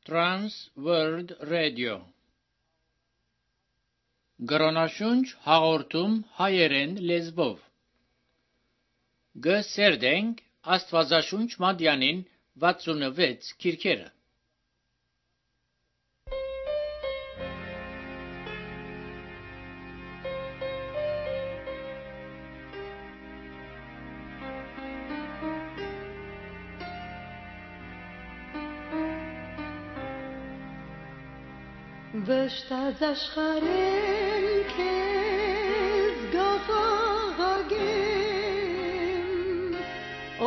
Trans World Radio Գրոնաշունչ հաղորդում հայերեն լեզվով Գսերդենք Աստվածաշունչ Մատյանին 66 քիրքերը Վշտաց աշխարհեն քեզ գաղաղագեմ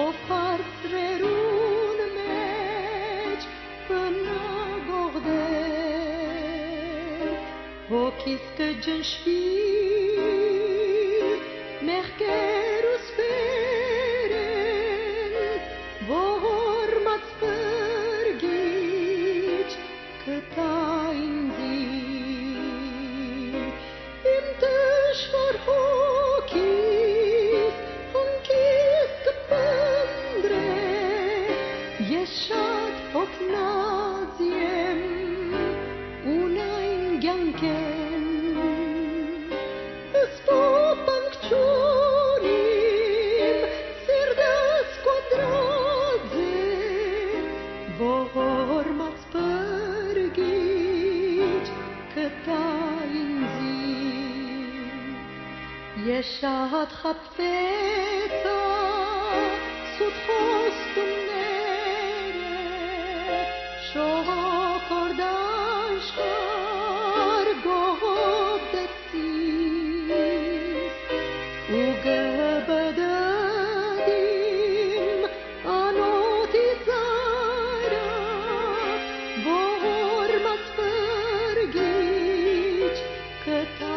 ով հարցրերուն մեջ բնագողդեր ոգիս կջնշվի մեղքեր ու սպերեն ողորմած բրգիչ կտա Շատ խապվեցա սուտ խոստումները շոկորդաշար գողոդեցիս ու գբդադիմ անոթի զայրա ողորմած բրգիչ կտա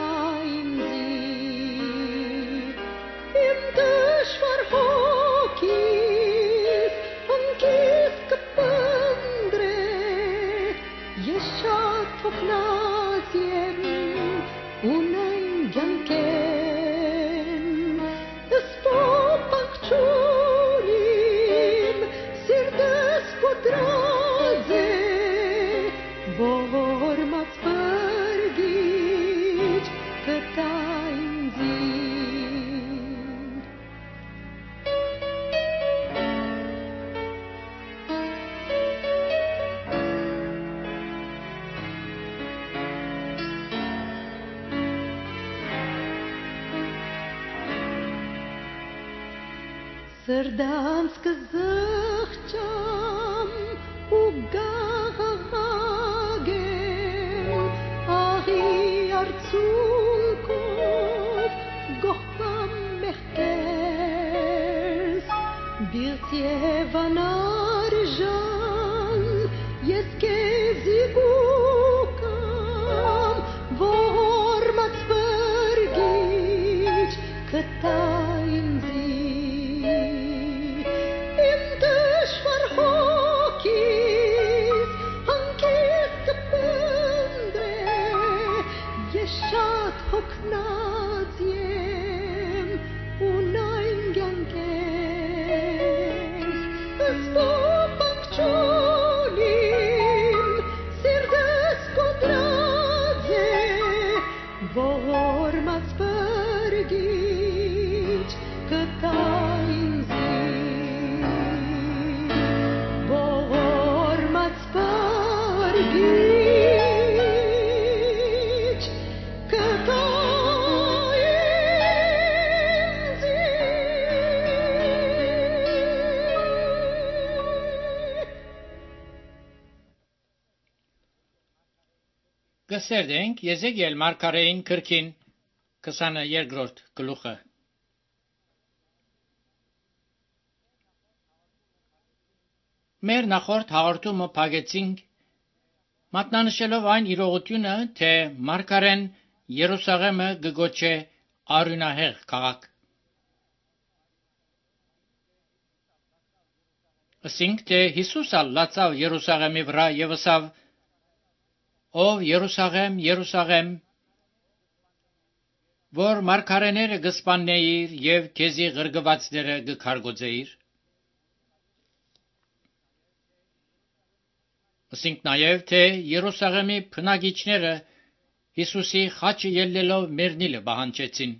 Սրդանց կզղջամ ու գաղաղագեմ աղի արցունքով գողքամ մեղքերս բիրտ և անարժան ես կեզի գուկամ ողորմած բրգիչ կտա Գսերդենք Եզեկիել մարգարեին քրքին 22-րդ գլուխը Մեր նախորդ հաղորդումը փակեցինք մատնանշելով այն իրողությունը, թե մարգարեն Երուսաղեմը գոչե արյունահեղ քաղաք։ Ասինք, թե Հիսուսը լացավ Երուսաղեմի վրա եւ ասավ. Ով Երուսաղեմ, Երուսաղեմ, որ մարգարեները գսպաննեիր եւ քեզի ղրգվածները գքարգոծեիր։ Ասինք նաև, թե Երուսաղեմի բնակիչները Հիսուսի խաչը ելնելով մեռնիլը պահանջեցին։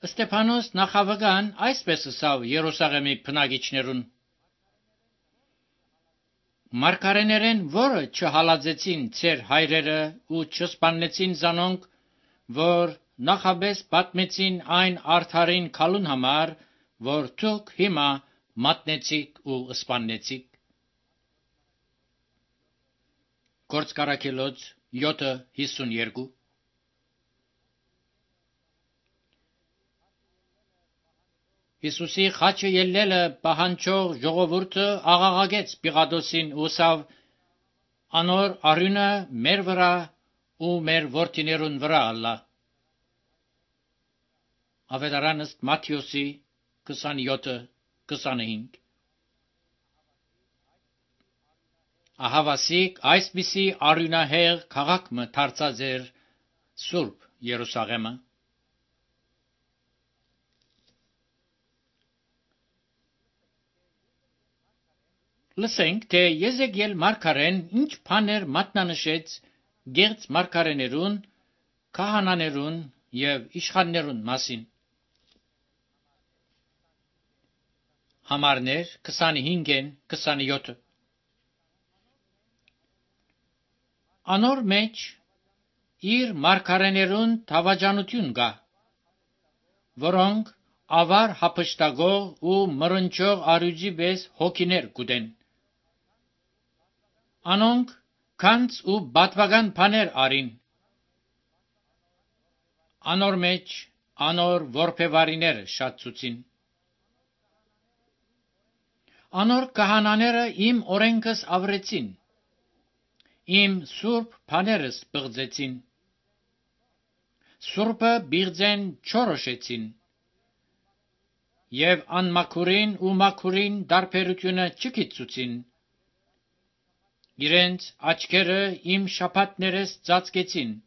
Ստեփանոս նախավգան այսպես ասավ Երուսաղեմի բնակիչներուն. Մարգարեներեն, որը չհալածեցին ձեր հայրերը ու չսպանեցին զանոնք, որ նախաբես պատմեցին այն արդարին քալուն համար, որ դուք հիմա մատնեցիք ու սպանեցիք։ Գործկարաքելոց 7:52 Հիսուսի խաչը ելնելը պահանջող ժողովուրդը աղաղակեց Պիղատոսին ու ասավ. «Անոր արյունը մեր վրա ու մեր որդիներուն վրա ալա»։ Ավետարան ըստ Մատթեոսի 27:25 Ահավասիկ այսպիսի արյունահեղ քաղաքը դարձած էր Սուրբ Երուսաղեմը։ Լսենք, թե Եզեկիել մարգարեն ինչ բաներ մատնանշեց գեղձ մարգարեներուն, քահանաներուն եւ իշխաններուն մասին։ Համարներ 25-27 Անոր մեջ իր մարգարեներուն թավաջանություն կա, որոնք ավար հափշտակող ու մռնչող արյուծի պես հոգիներ կուտեն։ Անոնք քանց ու բատվական բաներ արին։ Անոր մեջ անոր որբևարիները շատցուցին։ Անոր քահանաները իմ օրենքս ավրեցին, իմ սուրբ բաներս բղձեցին, սուրբը բիղձեն չորոշեցին, եւ անմաքուրին ու մաքուրին դարբերությունը չգիտցուցին։ Իրենց աչքերը իմ շաբաթներս ծածկեցին,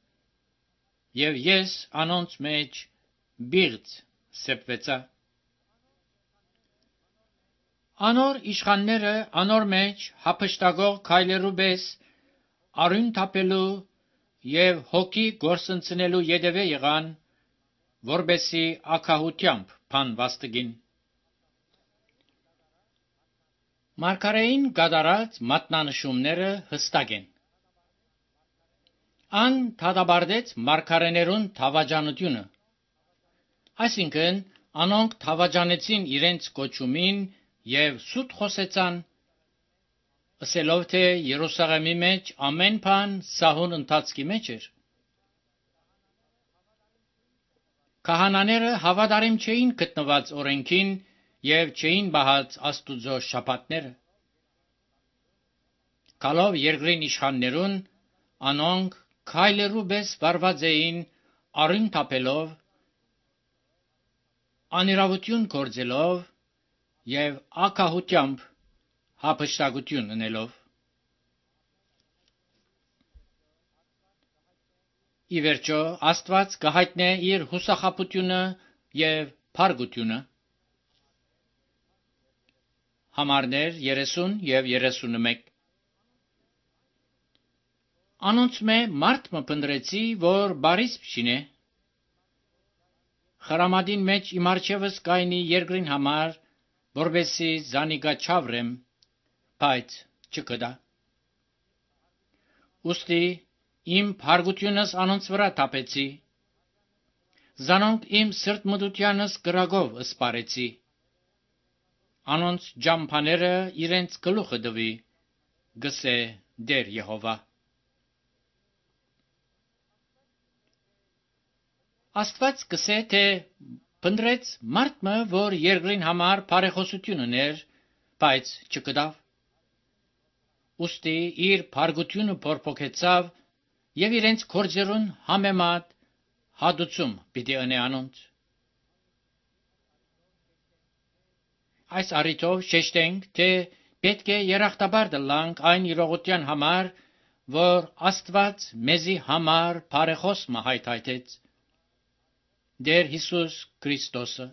եւ ես անոնց մեջ բիղձ սեպվեցա։ Անոր իշխանները անոր մեջ հափշտակող քայլերու պես արյուն թափելու եւ հոգի գործընծնելու յետևե եղան, որբեսի ակահությամբ բան վաստգին։ Մարգարեին գադարած մատնանշումները հստակ են։ Ան դատաբարտեց մարգարեներուն թավաջանությունը, այսինքն անոնք թավաջանեցին իրենց կոչումին եւ սուտ խոսեցան, ասելով թե Երուսաղեմի մեջ ամեն բան սահուն ընթացքի մեջ էր։ Քահանաները հավատարիմ չէին գտնված օրենքին եւ չէին բահած Աստուծո շաբաթները։ Գալով երկրին իշխաններուն, անոնք քայլերու պես վարված էին արյուն թափելով, անիրավություն գործելով եւ ակահությամբ հափշտակություն ունելով։ Ի վերջո Աստված կհայտնե իր հուսախաբությունը եւ փառքությունը։ Համարներ 30 եւ 31 Անոնց մե մարդ մը փնտրեցի, որ բարիս փչինե, խրամադին մեջ իմ արջևս կայնի երկրին համար, որբեսի զանիգա չավրեմ, բայց չկդա։ Ուստի իմ փառքությունս անոնց վրա թափեցի, զանոնք իմ սրտմտությանս կրակով սպարեցի, անոնց ջամփաները իրենց գլուխը դվի, գսե Տեր Եհովա։ Աստված կսե, թե փնտրեց մարդ մը, որ երկրին համար բարեխոսություն ուներ, բայց չկդավ։ Ուստի իր փառքությունը փորփոքեցավ եւ իրենց գործերուն համեմատ հադուցում պիտի ընե անոնց։ Այս առիթով շեշտենք, թե պետք է երախտաբար դլանք այն իրողության համար, որ Աստված մեզի համար բարեխոս մը հայթայթեց, Դեր Հիսուս Քրիստոսը։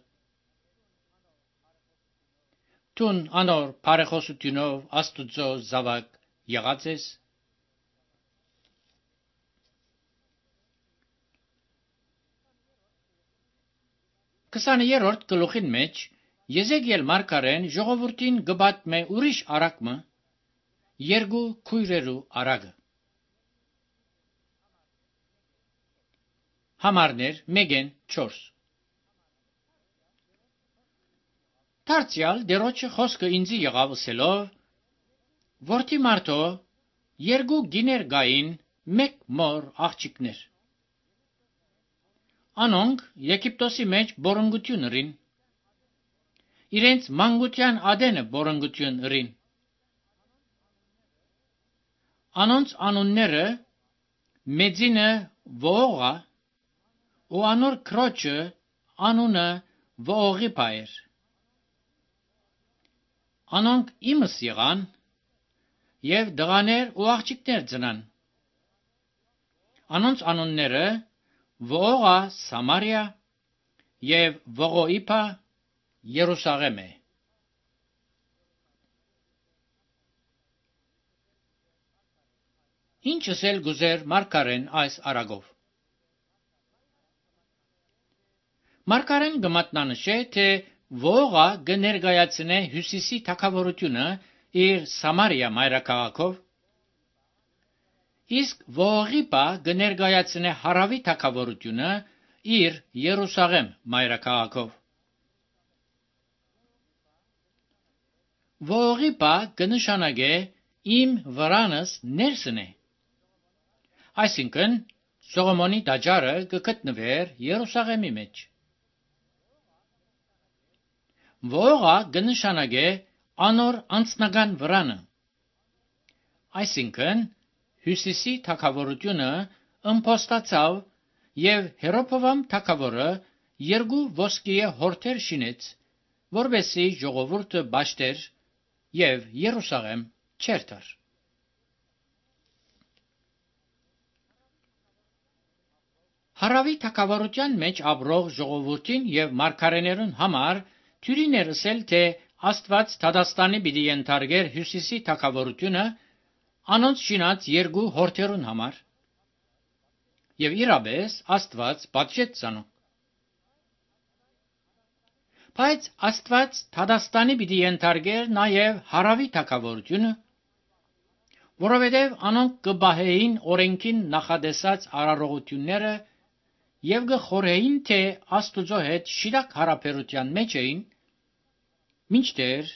Տուն անոր բարեխոսությունով Աստուծո զավակ եղած ես։ 20-րդ գլուխին մեջ Եզեկիել մարգարեն ժողովրդին գբատմե ուրիշ արակմը երկու քույրերու արագը։ Համարներ 1-4 Դարձյալ դերոջը խոսքը ինձի եղավ ասելով. Որդի մարդո, երկու գիներ գային մեկ մոր աղջիկներ։ Անոնք Եգիպտոսի մեջ բորոնգություն ըրին։ Իրենց մանկության ադենը բորոնգություն ըրին։ Անոնց անունները մեծինը Վողա ու անոր քրոջը անունը Վողիպա էր։ Անոնք իմս եղան եւ դղաներ ու աղջիկներ ծնան։ Անոնց անունները Վողա Սամարիա եւ Վողոիպա Երուսաղեմ է։ Ինչս էլ գուզեր մարգարեն այս արագով։ Մարգարեն գմատնանշե, թե Վողա կներկայացնե հյուսիսի թագավորությունը իր Սամարիա մայրաքաղաքով, իսկ Վողիպա կներկայացնե հարավի թագավորությունը իր Երուսաղեմ մայրաքաղաքով։ Վողիպա կնշանակե իմ վրանս ներսն է, այսինքն Սողոմոնի տաճարը կգտնվեր Երուսաղեմի մեջ։ Վողա կնշանակե անոր անձնական վրանը, այսինքն հյուսիսի թագավորությունը ըմփոստացավ եւ Հերոփովամ թագավորը երկու ոսկիե հորթեր շինեց, որովհետեւ ժողովուրդը բաշտեր եւ Երուսաղեմ չերթար։ Հարավի թագավորության մեջ ապրող ժողովրդին եւ մարգարեներուն համար թյուրիներ ասել, թե Աստված Թադաստանի պիտի ենթարկեր հյուսիսի թագավորությունը անոնց շինած երկու հորթերուն համար, եւ իրապես Աստված պատժեց ցանոք։ Բայց Աստված Թադաստանի պիտի ենթարկեր նաեւ հարավի թագավորությունը, որովհետեւ անոնք կբահեին օրենքին նախադեսած արարողությունները եւ կխորհեին, թե Աստուծո հետ շիրակ հարաբերության մեջ էին, մինչդեռ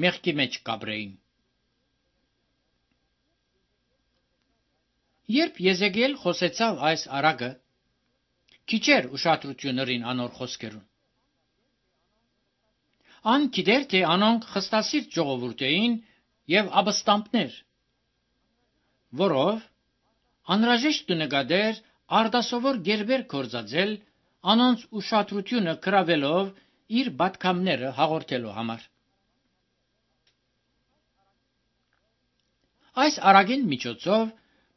մեղքի մեջ կաբրեին։ Երբ Եզեկիել խոսեցավ այս արագը, քիչեր ուշադրություն ըրին անոր խոսքերուն։ Ան գիտեր, թե անոնք խստասիրտ ժողովուրդ էին եւ ապստամբներ, որով անհրաժեշտ կնկատեր արդասովոր գերբեր կործածել անոնց ուշադրությունը գրավելով իր պատգամները հաղորդելու համար։ Այս արագին միջոցով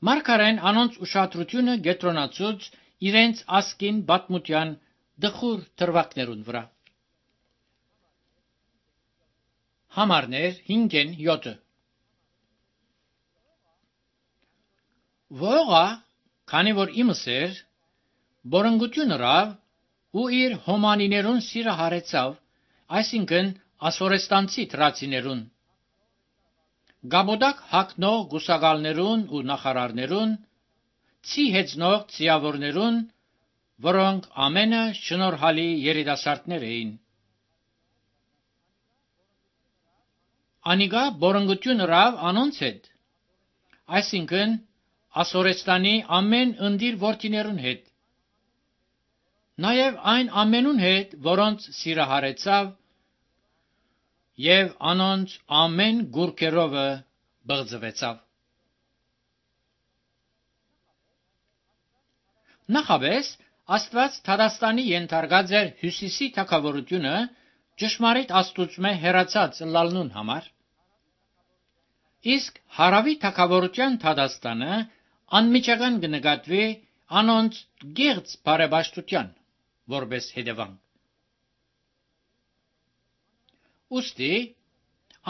մարգարեն անոնց ուշադրությունը կենտրոնացուց իրենց ասկին պատմության դխուր դրվագներուն վրա։ Համարներ 5-7 Վողա, քանի որ իմս էր, բորոնգություն ըրավ ու իր հոմանիներուն սիրը հարեցավ, այսինքն ասորեստանցի թրացիներուն, գաբոդակ հագնող գուսակալներուն ու նախարարներուն, ցի հեծնող ցիավորներուն, որոնք ամենը շնորհալի երիտասարդներ էին։ Անիգա բորոնգություն ըրավ անոնց հետ, այսինքն Ասորեստանի ամեն ընդիր որդիներուն հետ, նաև այն ամենուն հետ, որոնց սիրը հարեցավ, եւ անոնց ամեն գուրքերովը բղձվեցավ։ Նախաբես Աստված Թադաստանի ենթարկած էր հյուսիսի թագավորությունը ճշմարիտ Աստուծմե հերացած լալնուն համար, իսկ հարավի թագավորության Թադաստանը անմիջական կնկատվի անոնց գեղձ բարեպաշտության որպես հետևանք։ Ուստի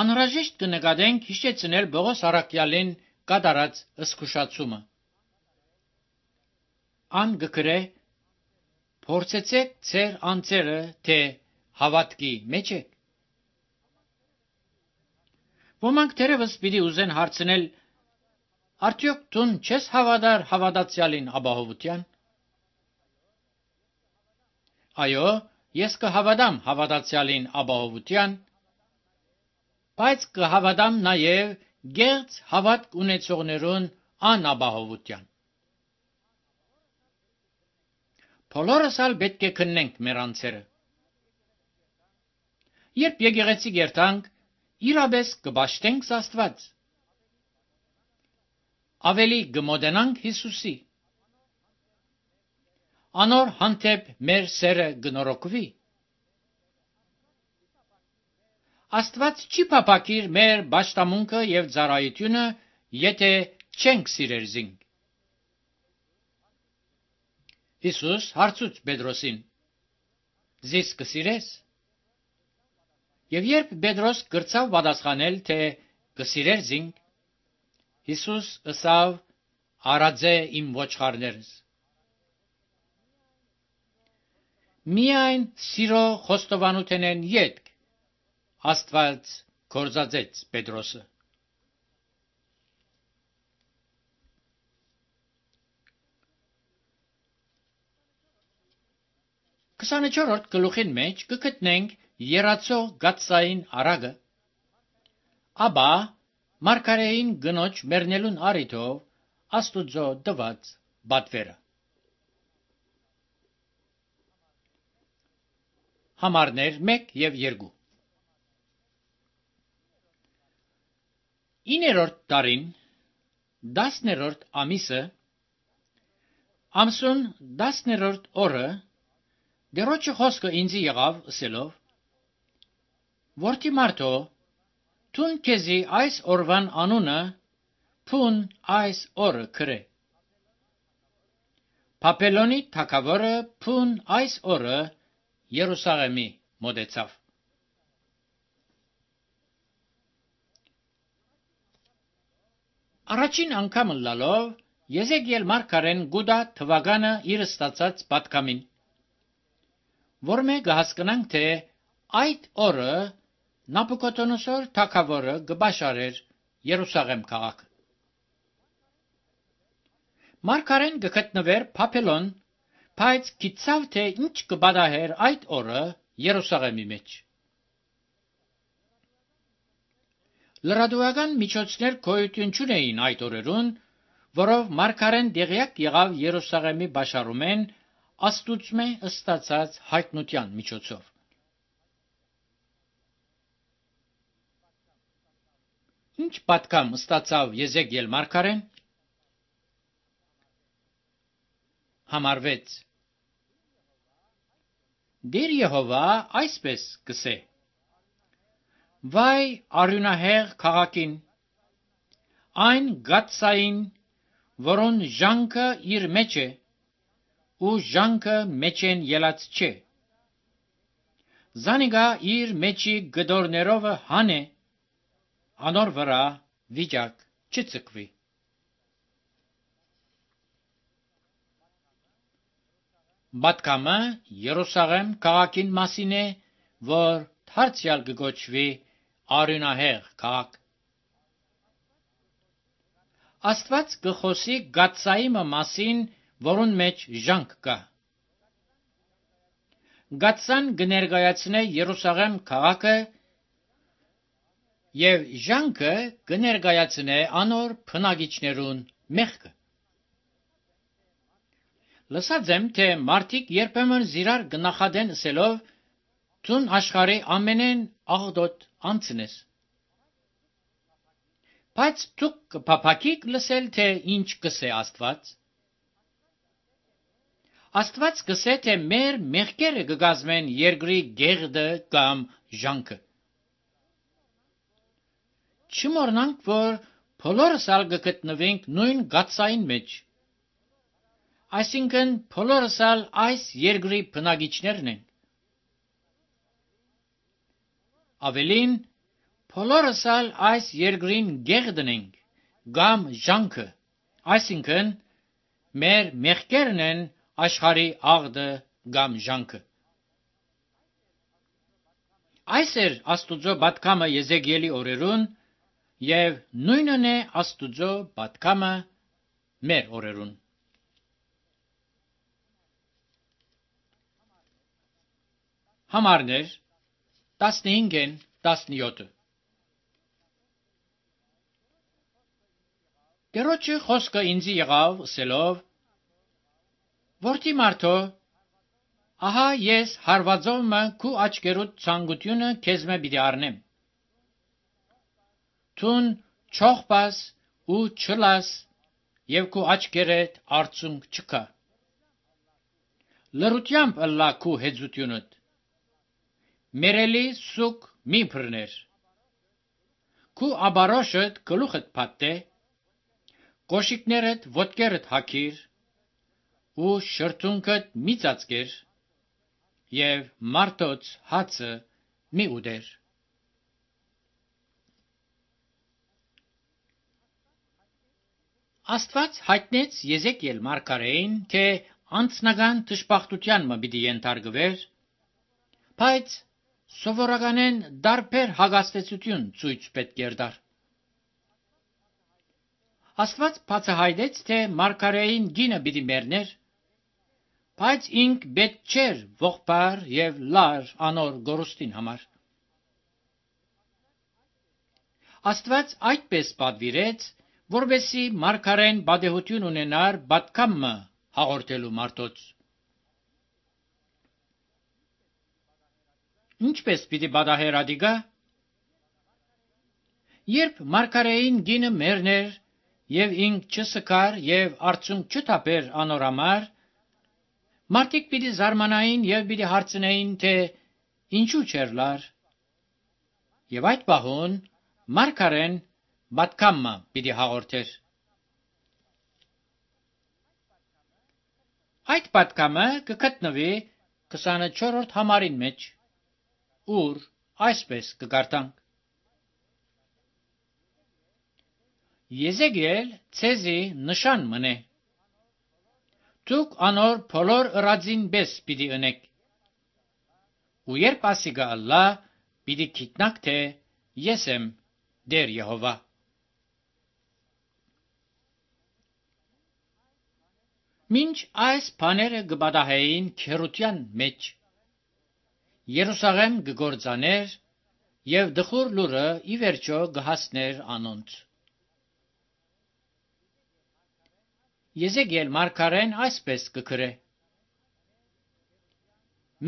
անհրաժեշտ կնկատենք հիշեցնել Պողոս առաքյալին կատարած զսկուշացումը։ Ան գկրե. «Փորձեցեք ձեր անձերը, թե հավատքի մեջ եք»։ Ոմանք թերևս պիտի ուզեն հարցնել. արդյոք դուն չես հավատար հավատացյալին ապահովության։ Այո, ես կհավատամ հավատացյալին ապահովության, բայց կհավատամ նաև գեղձ հավատք ունեցողներուն անապահովության։ Բոլորս ալ պետք է քննենք մեր անձերը։ Երբ եկեղեցի գերտանք, իրապես կպաշտենք Աստված։ Ավելի կմոտենանք Հիսուսի։ Անոր հանդեպ մեր սերը կնորոգվի։ Աստված չի փափակիր մեր պաշտամունքը եւ ծառայությունը, եթե չենք սիրեր զինք։ Հիսուս հարցուց Պետրոսին. «Զիս կսիրես»։ Եվ երբ Պետրոս գրծավ պատասխանել, թե կսիրեր զինք, Հիսուս ըսավ. «Արածե իմ ոչխարներս»։ Միայն սիրո խոստովանութենեն ետք Աստված կործածեց Պետրոսը։ 24-րդ գլուխին մեջ կգտնենք երացող գաթսային արագը, ապա մարգարեին գնոջ մեռնելուն առիթով Աստուծո տված պատվերը։ Համարներ 1 եւ 2։ 9-րդ տարին 10-րդ ամիսը ամսուն 10-րդ օրը Դերոջը խոսքը ինձի եղավ ասելով. «Որդի մարդո, տուն քեզի այս օրվան անունը փուն այս օրը քրե։ Բաբելոնի թագավորը փուն այս օրը Երուսաղեմի մոտեցավ»։ Առաջին անգամ լալով Եզեկիել մարգարեն գուտա թվականը իր ստացած պատգամին, որ մենք հասկանանք, թե այդ օրը Նաբուկոդոնոսոր թագավորը կբաշարեր Երուսաղեմ քաղաքը։ Մարգարեն կգտնվեր Բաբելոն, բայց գիտավ, թե ինչ կպատահեր այդ օրը Երուսաղեմի մեջ։ Լրատվական միջոցներ գոյություն չունեին այդ օրերուն, որով մարգարեն տեղյակ եղավ Երուսաղեմի բաշարումեն Աստուծմե ստացած հայտնության միջոցով։ Ինչ պատգամ ստացավ Եզեկիել մարգարեն։ Համար 6։ Դեր Եհովա այսպես կսե. «Վայ արյունահեղ քաղաքին, այն գաթսային, որոն ժանքը իր մեջ է, ու ժանքը մեջեն ելած չէ։ Զանիկա իր մեջի գդորներով հանե, անոր վրա վիճակ չծկվի»։ Պատգամը Երուսաղեմ քաղաքին մասին է, որ դարձյալ կգոչվի արյունահեղ քաղաք։ Աստված կխոսի գաթսայի մասին, որուն մեջ ժանք կա։ Գաթսան կներկայացնե Երուսաղեմ քաղաքը եւ ժանքը կներկայացնե անոր բնակիչներուն մեղքը։ Լսած եմ, թե մարդիկ երբեմն զիրար կնախադեն ասելով. «Դուն աշխարհի ամենեն աղտոտ անձն ես»։ Բայց դուք կփափակիք լսել, թե ինչ կսե Աստված։ Աստված կսե, թե մեր մեղքերը կգազմեն երկրի գեղձը կամ ժանքը։ Չմոռնանք, որ բոլորս ալ կգտնվենք նույն գաթսային մեջ։ Այսինքն բոլորս ալ այս երկրի բնակիչներն ենք։ Ավելին, բոլորս ալ այս երկրին գեղ դնենք, կամ ժանքը, այսինքն մեր մեղքերն են աշխարհի աղդը կամ ժանքը։ Այս էր Աստուծո պատգամը Եզեկիելի օրերուն, եւ նույնն է Աստուծո պատգամը մեր օրերուն։ Համարներ 15-ն 17։ Տերոջը խոսքը ինձի եղավ ասելով. «Որդի մարդո, ահա ես հարվածովը քու աչքերուդ ցանկությունը քեզմե պիտի առնեմ։ Թուն չողբաս ու չլաս եւ քու աչքերդ արցունք չկա։ Լրությամբ ըլլա քու հեծությունդ։ Մերելի սուկ մի բռներ։ Քու աբարոշդ գլուխդ փաթե, կոշիկներդ ոտքերդ հագիր ու շրթունքդ մի ծածկեր եւ մարդոց հացը մի ուդեր»։ Աստված հայտնեց Եզեկիել մարգարեին, թե անձնական դժբախտության մը պիտի ենթարկվեր, բայց սովորականեն դարբեր հագաստեցություն ցույց պետք էր դար։ Աստված բացահայտեց, թե մարգարեին գինը պիտի մեռներ, բայց ինք պետք չէր ողբար եւ լար անոր գորուստին համար։ Աստված այդպես պատվիրեց, որովհետեւ մարգարեն պատեհություն ունենար պատգամը հաղորդելու մարդոց։ Ինչպես պիտի պատահեր ադիգա։ Երբ մարգարեին գինը մեռներ եւ ինք չսկար եւ արցունք չթափեր անոր համար, մարդիկ պիտի զարմանային եւ պիտի հարցնեին, թե ինչու չէր լար։ Եվ այդ պահուն մարգարեն պատգամը պիտի հաղորդեր։ Այդ պատգամը կգտնվի 24-րդ համարին մեջ, ուր այսպես կգարտանք. Եզեկիել ցեզի նշան մնե։ Դուք անոր բոլոր ըրածին բես պիտի ընեք։ Ու երբ ասիգա ըլլա, պիտի գիտնաք, թե ես եմ Տեր Եհովա։ Մինչ այս բաները կպատահեին քերության մեջ, Երուսաղեմ կգործաներ եւ դխուր լուրը ի վերջո կհասներ անոնց։ Եզեկիել մարգարեն այսպես կգրե.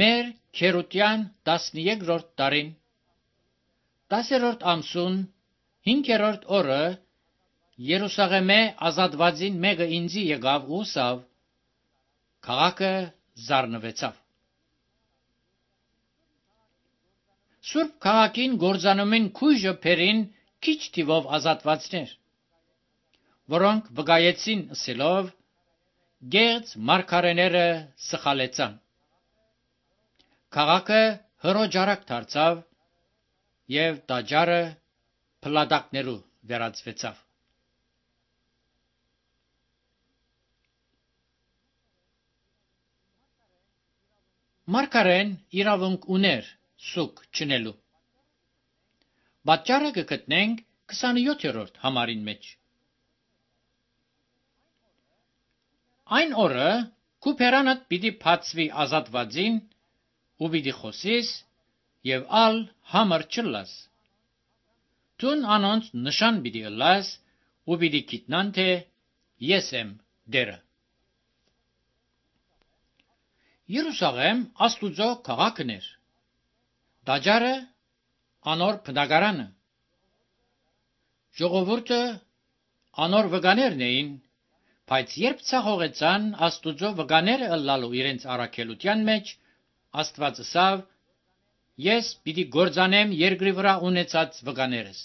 Մեր քերության 13-րդ տարին 10-րդ ամսուն 5-րդ օրը Երուսաղեմե ազատվածին մեկը ինձի եկավ ու ասավ. քաղաքը զարնվեցավ։ Սուրբ քաղաքին գործանումին քույժը փերին քիչ թիվով ազատվածներ, որոնք վկայեցին ասելով. գեղձ մարգարեները սխալեցան։ Քաղաքը հրոջարակ դարձավ եւ տաճարը փլատակներու վերածվեցավ։ Մարգարեն իրավունք ուներ սուկ չնելու։ Պատճառը կգտնենք 27-րդ համարին մեջ։ Այն օրը քու փերանդ պիտի բացվի ազատվածին ու պիտի խոսիս եւ ալ համր չլաս։ Տուն անոնց նշան պիտի ըլլաս ու պիտի գիտնան, թե ես եմ Տերը։ Երուսաղեմ Աստուծո քաղաքն էր։ Տաճարը անոր բնակարանը։ Ժողովուրդը անոր վկաներն էին, բայց երբ ցախողեցան Աստուծո վկաները ըլլալու իրենց առաքելության մեջ, Աստված ասավ. ես պիտի գործանեմ երկրի վրա ունեցած վկաներս։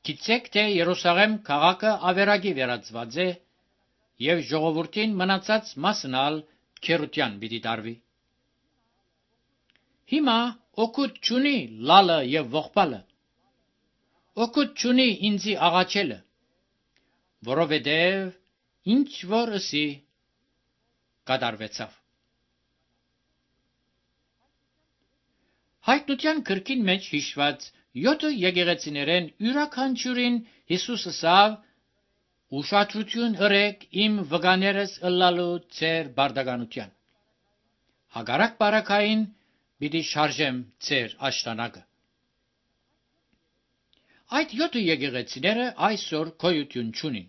Գիտեք, թե Երուսաղեմ քաղաքը ավերակի վերածված է եւ ժողովրդին մնացած մասն ալ քերության պիտի տարվի։ Հիմա օգուտ չունի լալը եւ ողբալը։ Օգուտ չունի ինձի աղաչելը, որովհետև ինչ որ ըսի կատարվեցավ։ Հայտնության գրքին մեջ հիշված 7 եկեղեցիներեն յուրաքանչյուրին Հիսուս ասավ. «Ուշադրություն ըրեք իմ վկաներս ըլլալու ձեր բարդականության։ Հակառակ բարակային պիտի շարժեմ ձեր աշտանակը»։ Այդ 7 եկեղեցիները այսօր գոյություն չունին,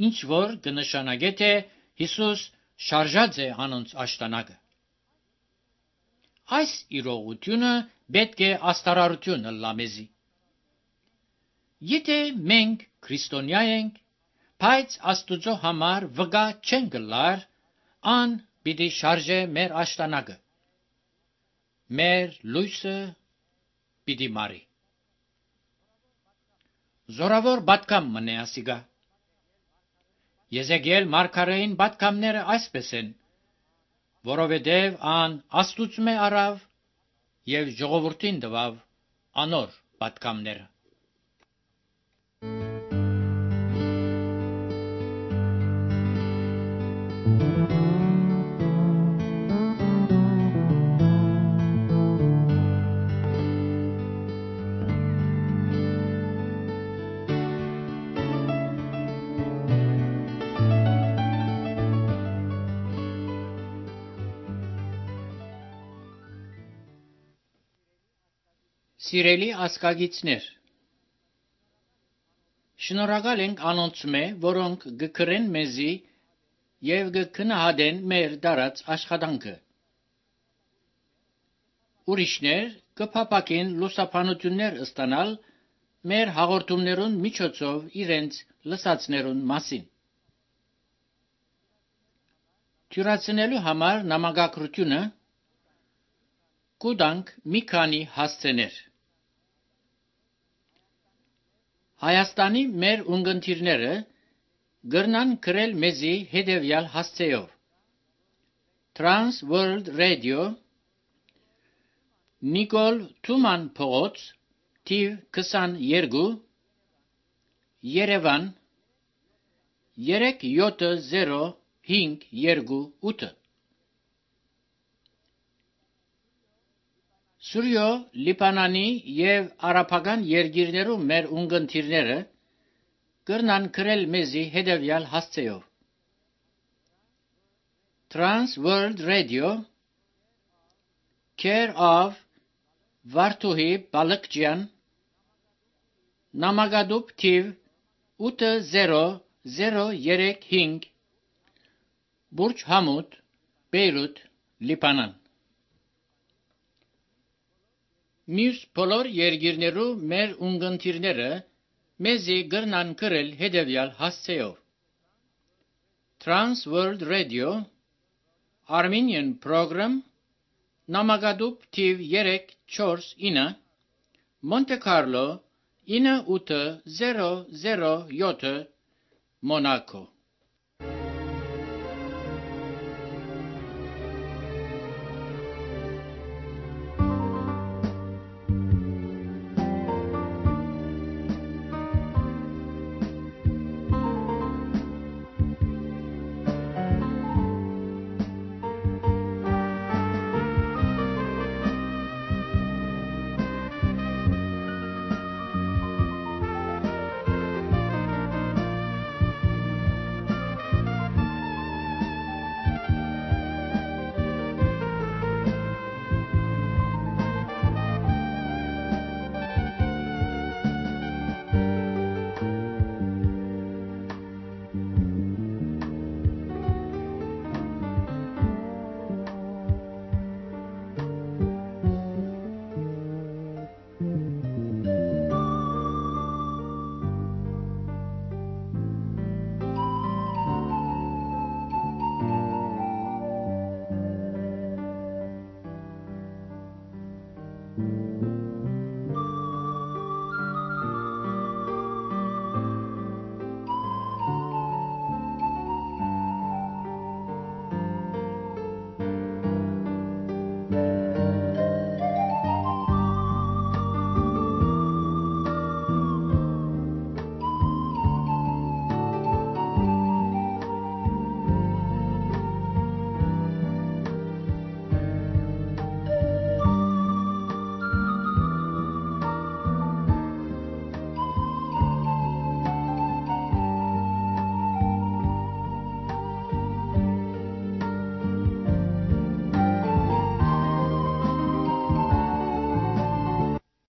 ինչ որ կնշանակե թե Հիսուս շարժած է անոնց աշտանակը։ Այս իրողությունը պետք է աստարարություն ըլլա մեզի։ Եթե մենք քրիստոնյա ենք, բայց Աստուծո համար վկա չենք կլար, ան պիտի շարժե մեր աշտանակը, մեր լույսը պիտի մարի։ Զորավոր պատգամ մնե ասիգա։ Եզեկիել մարգարեին պատգամները այսպես են, որովհետև ան Աստուծմե արավ եւ ժողովրդին տվավ անոր պատգամները։ Սիրելի ասկագիցներ, շնորհակալ ենք անոնցմե, որոնք գկրեն մեզի եւ գքնահատեն մեր դարած աշխատանքը։ Ուրիշներ կփապակեն լուսաբանություններ ստանալ մեր հաղորդումներուն միջոցով իրենց լսածներուն մասին։ Թյուրացնելու համար նամակագրությունը կուտանք մի քանի հասցեներ։ Հայաստանի մեր ունգընտիրները գրնան գրել մեզի հետևյալ հասցեով. Trans World Radio, Նիկոլ Թուման փողոց, թիվ 22, Երևան 37058։ Սուրյո Լիբանանի եւ արաբական երկիրներում մեր ունգընտիրները կրնան գրել մեզի հետևյալ հասցեով. Trans World Radio, Care of Վարդուհի Բալկջյան, Նամակադուփ թիվ 80035, Բուրջ Համուդ, Բեյրութ, Լիբանան։ Մյուս բոլոր երկիրներու մեր ունգընտիրները մեզի գրնան գրել հետևյալ հասցեով. Trans World Radio, Armenian Program, Նամակադուփ թիվ 349, Monte Carlo 9807, Monaco։